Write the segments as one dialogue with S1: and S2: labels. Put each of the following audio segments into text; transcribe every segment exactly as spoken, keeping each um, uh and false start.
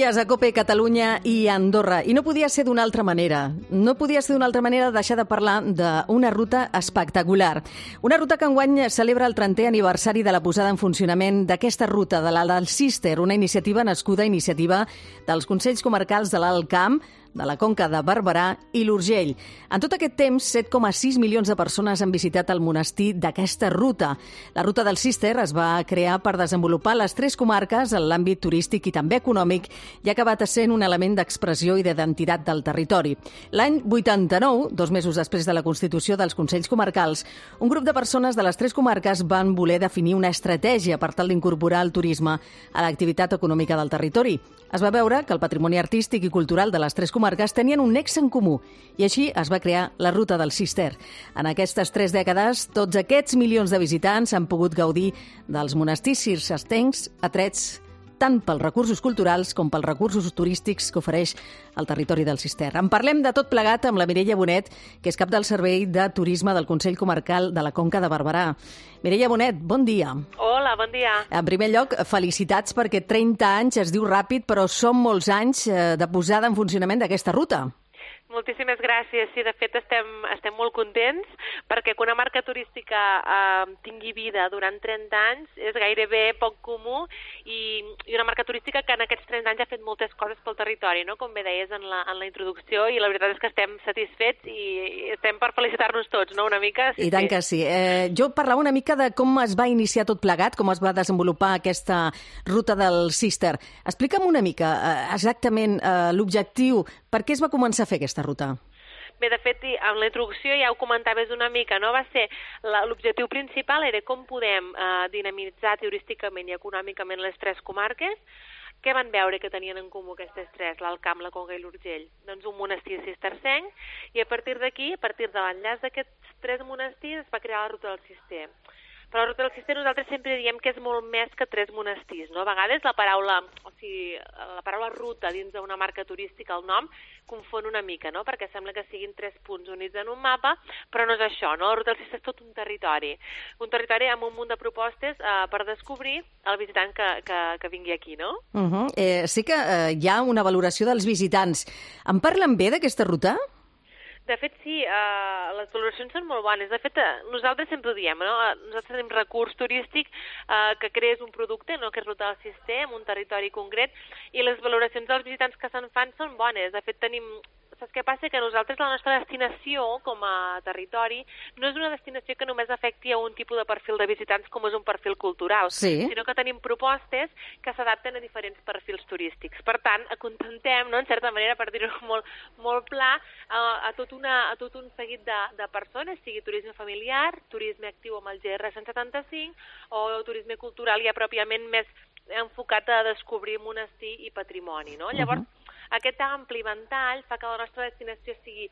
S1: dies a COPE, Catalunya i Andorra. I no podia ser d'una altra manera. No podia ser d'una altra manera deixar de parlar d'una ruta espectacular. Una ruta que enguany celebra el trentè aniversari de la posada en funcionament d'aquesta ruta, de la del Cister, una iniciativa nascuda a iniciativa dels Consells Comarcals de l'Alt Camp, de la Conca de Barberà i l'Urgell. En tot aquest temps, set coma sis milions de persones han visitat el monestir d'aquesta ruta. La ruta del Cister es va crear per desenvolupar les tres comarques en l'àmbit turístic i també econòmic i ha acabat sent un element d'expressió i d'identitat del territori. L'any vuitanta-nou, dos mesos després de la constitució dels Consells Comarcals, un grup de persones de les tres comarques van voler definir una estratègia per tal d'incorporar el turisme a l'activitat econòmica del territori. Es va veure que el patrimoni artístic i cultural de les tres comarques tenien un nexe en comú i així es va crear la Ruta del Cister. En aquestes tres dècades, tots aquests milions de visitants han pogut gaudir dels monestirs cistercencs atrets tant pels recursos culturals com pels recursos turístics que ofereix el territori del Cister. En parlem de tot plegat amb la Mireia Bonet, que és cap del Servei de Turisme del Consell Comarcal de la Conca de Barberà. Mireia Bonet, bon dia.
S2: Hola, bon dia.
S1: En primer lloc, felicitats perquè trenta anys es diu ràpid, però són molts anys de posada en funcionament d'aquesta ruta.
S2: Moltíssimes gràcies. Sí, de fet estem, estem molt contents perquè que una marca turística eh, tingui vida durant trenta anys és gairebé poc comú i, i una marca turística que en aquests trenta anys ha fet moltes coses pel territori, no? Com bé deies en la, en la introducció, i la veritat és que estem satisfets i estem per felicitar-nos tots, no? Una mica. Sí,
S1: I tant que sí. Eh, jo parlava una mica de com es va iniciar tot plegat, com es va desenvolupar aquesta ruta del Cister. Explica'm una mica eh, exactament eh, l'objectiu, per què es va començar a fer aquesta ruta?
S2: Bé, de fet, en la introducció ja ho comentaves una mica, no? Va ser l'objectiu principal era com podem eh, dinamitzar turísticament i econòmicament les tres comarques. Què van veure que tenien en comú aquestes tres, l'Alt Camp, la Conca i l'Urgell? Doncs un monestir cistercenc, i a partir d'aquí, a partir de l'enllaç d'aquests tres monestirs, es va crear la Ruta del Cister. Però la Ruta del Cister nosaltres sempre diem que és molt més que tres monestirs, no? A vegades la paraula, o sigui, la paraula ruta dins d'una marca turística, el nom, confon una mica, no? Perquè sembla que siguin tres punts units en un mapa, però no és això, no? La Ruta del Cister és tot un territori. Un territori amb un munt de propostes eh, per descobrir el visitant que, que, que vingui aquí, no?
S1: Uh -huh. eh, sí que eh, hi ha una valoració dels visitants. En parlen bé d'aquesta ruta?
S2: De fet, sí, eh, les valoracions són molt bones. De fet, eh, nosaltres sempre ho diem, no? Nosaltres tenim recurs turístic eh, que crees un producte, no? Que és Ruta del Cister, en un territori concret, i les valoracions dels visitants que se'n fan són bones. De fet, tenim... Saps què passa? Que nosaltres, la nostra destinació com a territori, no és una destinació que només afecti a un tipus de perfil de visitants com és un perfil cultural,
S1: sí,
S2: sinó que tenim propostes que s'adapten a diferents perfils turístics. Per tant, acontentem, no?, en certa manera, per dir-ho molt, molt pla, a, a, tot una, a tot un seguit de, de persones, sigui turisme familiar, turisme actiu amb el G R cent setanta-cinc o turisme cultural ja pròpiament més enfocat a descobrir monestir i patrimoni, no? Llavors, uh-huh. Aquest ampli ventall fa que la nostra destinació sigui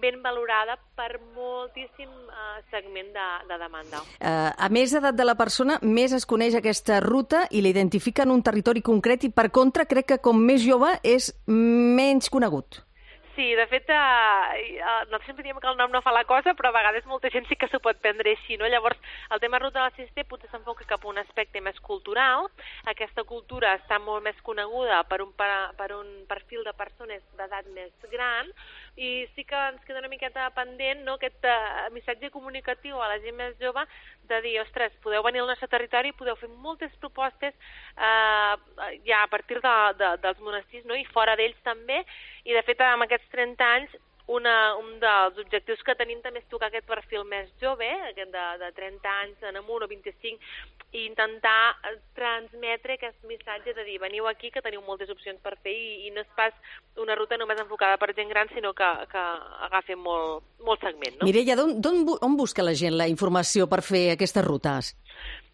S2: ben valorada per moltíssim uh, segment de, de demanda.
S1: Uh, a més edat de la persona, més es coneix aquesta ruta i l'identifica en un territori concret i, per contra, crec que com més jove és menys conegut.
S2: Sí, de fet, eh, nosaltres sempre diem que el nom no fa la cosa, però a vegades molta gent sí que s'ho pot prendre així, no? Llavors, el tema Ruta del Cister potser s'enfoca cap a un aspecte més cultural. Aquesta cultura està molt més coneguda per un, per, per un perfil de persones d'edat més gran, i sí que ens queda una miqueta pendent, no?, aquest uh, missatge comunicatiu a la gent més jove de dir, ostres, podeu venir al nostre territori, podeu fer moltes propostes uh, ja a partir de, de, dels monestirs, no?, i fora d'ells també, i de fet amb aquests trenta anys una, un dels objectius que tenim també és tocar aquest perfil més jove, aquest de, de trenta anys en amunt o vint-i-cinc, i intentar transmetre aquest missatge de dir, veniu aquí que teniu moltes opcions per fer, i, i no és pas una ruta només enfocada per gent gran, sinó que, que agafa molt, molt segment, no?
S1: Mireia, on busca la gent la informació per fer aquestes rutes?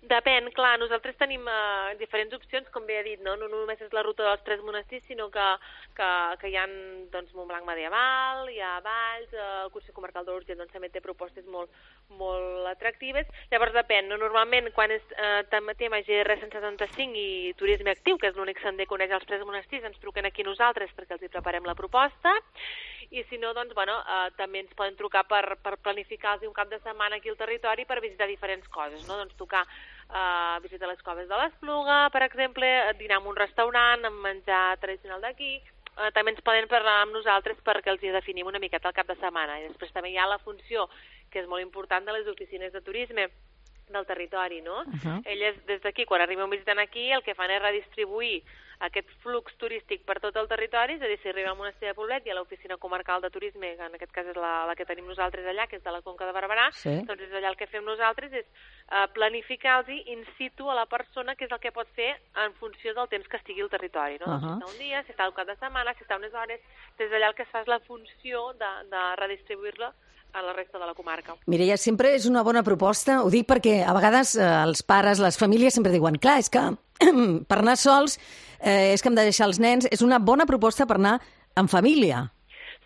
S2: Depèn, clar, nosaltres tenim uh, diferents opcions, com bé he dit, no? No només és la ruta dels tres monestirs, sinó que, que, que hi ha, doncs, Montblanc Medieval, hi ha Valls, uh, el Consell Comarcal de l'Urgell, doncs, també té propostes molt, molt atractives. Llavors depèn, no? Normalment, quan és uh, tema G R cent setanta-cinc i turisme actiu, que és l'únic sender que coneix els tres monestirs, ens truquen aquí nosaltres perquè els hi preparem la proposta, i si no, doncs, bueno, uh, també ens poden trucar per, per planificar-los un cap de setmana aquí al territori per visitar diferents coses, no? Doncs tocar uh, visitar les coves de l'Espluga, per exemple, dinar en un restaurant, amb menjar tradicional d'aquí. Uh, també ens poden parlar amb nosaltres perquè els hi definim una miqueta el cap de setmana. I després també hi ha la funció, que és molt important, de les oficines de turisme del territori, no? Uh-huh. Elles, des d'aquí, quan arriben un visitant aquí, el que fan és redistribuir aquest flux turístic per tot el territori, és a dir, si arriba al monestir de Poblet i a l'oficina comarcal de turisme, que en aquest cas és la, la que tenim nosaltres allà, que és de la Conca de Barberà, sí. Doncs és allà el que fem nosaltres és uh, planificar-los in situ a la persona, que és el que pot fer en funció del temps que estigui al territori, no? Uh-huh. Si està un dia, si està un cap de setmana, si està unes hores, des d'allà el que es fa és la funció de, de redistribuir-la a la resta de la comarca.
S1: Mireia, sempre és una bona proposta, ho dic perquè a vegades eh, els pares, les famílies sempre diuen, clar, és que per anar sols eh, és que hem de deixar els nens, és una bona proposta per anar en família.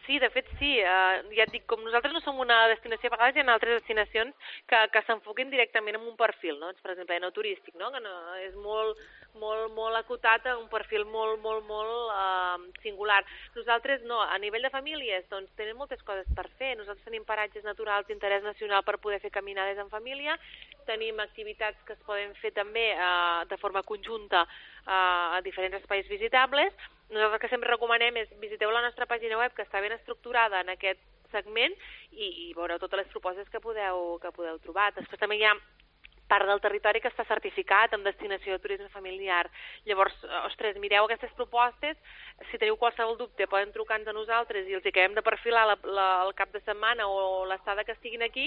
S2: Sí, de fet sí, uh, ja et dic, com nosaltres no som una destinació, a vegades hi ha altres destinacions que, que s'enfoquen directament en un perfil, no? Per exemple, no turístic, no? Que no, és molt, molt, molt acotat a un perfil molt, molt, molt uh, singular. Nosaltres no, a nivell de famílies, doncs tenim moltes coses per fer. Nosaltres tenim paratges naturals d'interès nacional per poder fer caminades en família, tenim activitats que es poden fer també uh, de forma conjunta uh, a diferents espais visitables. Nosaltres el que sempre recomanem és visiteu la nostra pàgina web, que està ben estructurada en aquest segment, i, i veureu totes les propostes que podeu, que podeu trobar. Després també hi ha part del territori que està certificat amb destinació de turisme familiar. Llavors, ostres, mireu aquestes propostes, si teniu qualsevol dubte poden trucar-nos a nosaltres i els acabem de perfilar la, la, el cap de setmana o l'estada que estiguin aquí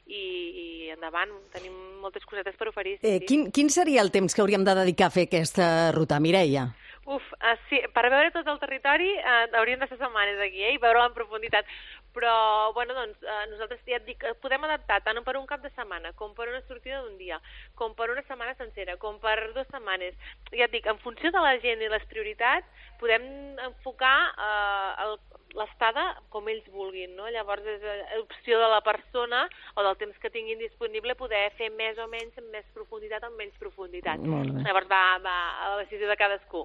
S2: i, i endavant, tenim moltes cosetes per oferir. Sí,
S1: eh, quin, quin seria el temps que hauríem de dedicar a fer aquesta ruta, Mireia?
S2: Uf, uh, sí, per veure tot el territori uh, hauríem de ser setmanes aquí, eh, i veure-la en profunditat. Però, bueno, doncs, uh, nosaltres ja et dic, podem adaptar tant per un cap de setmana, com per una sortida d'un dia, com per una setmana sencera, com per dues setmanes. Ja et dic, en funció de la gent i les prioritats, podem enfocar uh, l'estada com ells vulguin, no? Llavors és opció de la persona o del temps que tinguin disponible poder fer més o menys amb més profunditat o amb menys profunditat. Llavors va, va a la decisió de cadascú.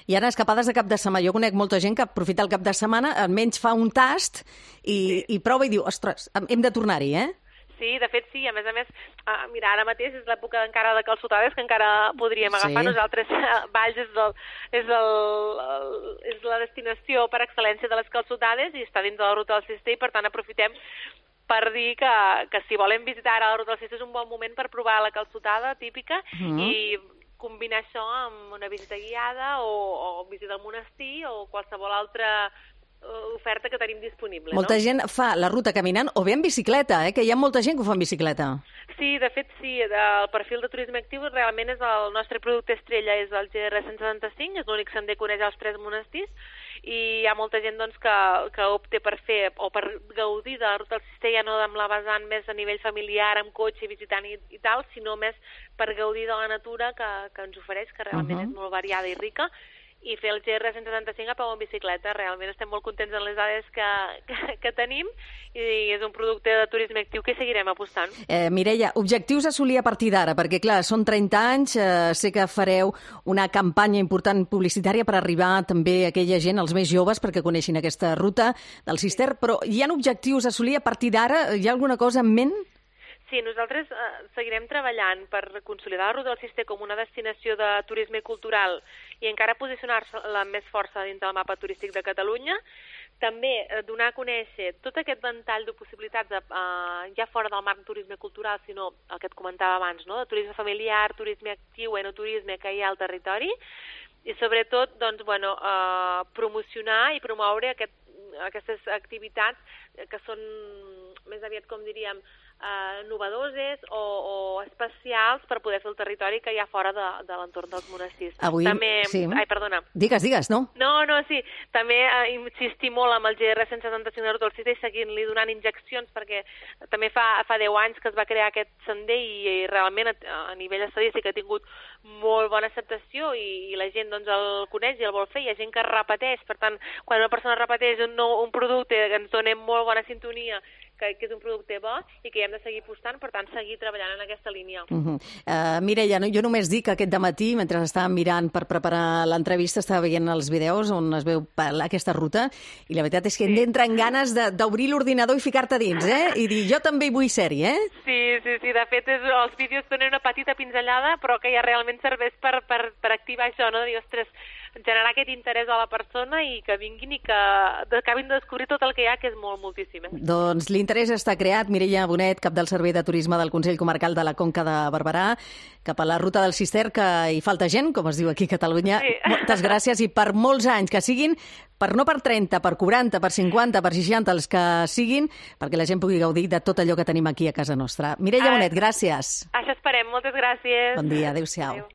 S1: I ara, escapades de cap de setmana. Jo conec molta gent que aprofita el cap de setmana, almenys fa un tast i, sí. i prova i diu, ostres, hem de tornar-hi, eh?
S2: Sí, de fet sí, a més a més, uh, mira, ara mateix és l'època encara de calçotades que encara podríem agafar. Sí. Nosaltres, uh, Valls és, el, és, el, el, és la destinació per excel·lència de les calçotades i està dins de la ruta del Cister i per tant aprofitem per dir que, que si volem visitar ara la ruta del Cister és un bon moment per provar la calçotada típica mm. i combinar això amb una visita guiada o, o visita al monestir o qualsevol altra oferta que tenim disponible.
S1: Molta
S2: no?
S1: gent fa la ruta caminant o bé en bicicleta, eh? Que hi ha molta gent que ho fa en bicicleta.
S2: Sí, de fet sí, el perfil de turisme actiu realment és el nostre producte estrella, és el G R cent setanta-cinc, és l'únic sender que uneix els tres monestirs i hi ha molta gent doncs, que, que opta per fer o per gaudir de la ruta del Cister, ja no amb la vessant més a nivell familiar, amb cotxe, visitant i, i tal, sinó més per gaudir de la natura que, que ens ofereix, que realment uh-huh. és molt variada i rica, i fer el G R cent setanta-cinc a peu en bicicleta. Realment estem molt contents amb les dades que, que, que tenim i és un producte de turisme actiu que seguirem apostant.
S1: Eh, Mireia, objectius a assolir a partir d'ara, perquè clar, són trenta anys, eh, sé que fareu una campanya important publicitària per arribar també a aquella gent, els més joves, perquè coneixin aquesta ruta del Cister, però hi ha objectius a assolir a partir d'ara? Hi ha alguna cosa en ment?
S2: Sí, nosaltres eh, seguirem treballant per consolidar la ruta del Cister com una destinació de turisme cultural i encara posicionar-la amb més força dins del mapa turístic de Catalunya. També eh, donar a conèixer tot aquest ventall de possibilitats de, eh, ja fora del marc turisme cultural, sinó el que et comentava abans, no? De turisme familiar, turisme actiu, enoturisme que hi ha al territori i sobretot doncs, bueno, eh, promocionar i promoure aquest, aquestes activitats que són més aviat, com diríem, Uh, novedoses o, o especials per poder fer el territori que hi ha fora de, de l'entorn dels monestirs.
S1: Avui,
S2: també,
S1: sí.
S2: Ai, perdona.
S1: Digues, digues, no?
S2: No, no, sí. També uh, insistir molt amb el G R cent setanta-cinc de Ruta del Cister i seguint-li donant injeccions perquè també fa, fa deu anys que es va crear aquest sender i, i realment a, a nivell estadístic ha tingut molt bona acceptació i, i la gent doncs, el coneix i el vol fer. Hi ha gent que repeteix, per tant, quan una persona repeteix un, nou, un producte que ens dona molt bona sintonia, que, que és un producte bo i que hi hem de seguir apostant, per tant, seguir treballant en aquesta línia.
S1: Uh -huh. uh, Mireia, no, jo només dic que aquest dematí, mentre estàvem mirant per preparar l'entrevista, estava veient els vídeos on es veu aquesta ruta, i la veritat és que sí. T'entren ganes d'obrir l'ordinador i ficar-te dins, eh? I dir, jo també hi vull ser-hi, eh?
S2: Sí, sí, sí, de fet, és, els vídeos donen una petita pinzellada, però que ja realment serveix per, per, per activar això, no? De dir, ostres, generar aquest interès a la persona i que vinguin i que acabin de descobrir tot el que hi ha, que és molt, moltíssim. Eh?
S1: Doncs l'interès està creat. Mireia Bonet, cap del Servei de Turisme del Consell Comarcal de la Conca de Barberà, cap a la ruta del Cister, que hi falta gent, com es diu aquí a Catalunya. Sí. Moltes gràcies i per molts anys, que siguin, per no per trenta, per quaranta, per cinquanta, per seixanta, els que siguin, perquè la gent pugui gaudir de tot allò que tenim aquí a casa nostra. Mireia ah, Bonet, gràcies.
S2: Això esperem. Moltes gràcies.
S1: Bon dia. Adéu-siau. Adéu.